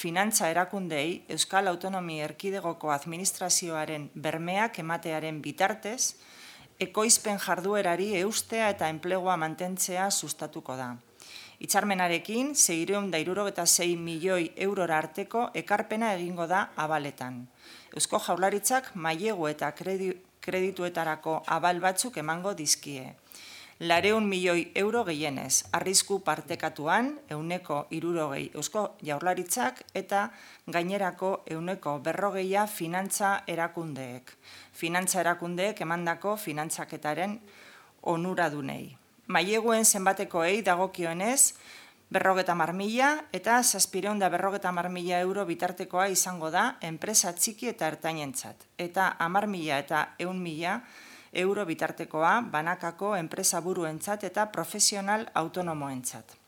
finantza erakundei Euskal Autonomi Erkidegoko administrazioaren bermeak ematearen bitartez, ekoizpen jarduerari eustea eta enplegua mantentzea sustatuko da. Hitzarmenarekin 676 milioi eurora arteko ekarpena egingo da abaletan. Eusko Jaurlaritzak mailegu eta kredituetarako abal batzuk emango dizkie. 200 milioi euro gehienez, arrisku partekatuan 160 Eusko Jaurlaritzak eta gainerako 140 finantza erakundeek. Finantza erakundeek emandako finantzaketaren onuradunei. Maileguen zenbatekoei dagokionez, 50.000 eta 750.000 euro bitartekoa izango da enpresa txiki eta ertainentzat, eta 10.000 eta 100.000 euro bitartekoa banakako enpresa buruentzat eta profesional autonomoentzat.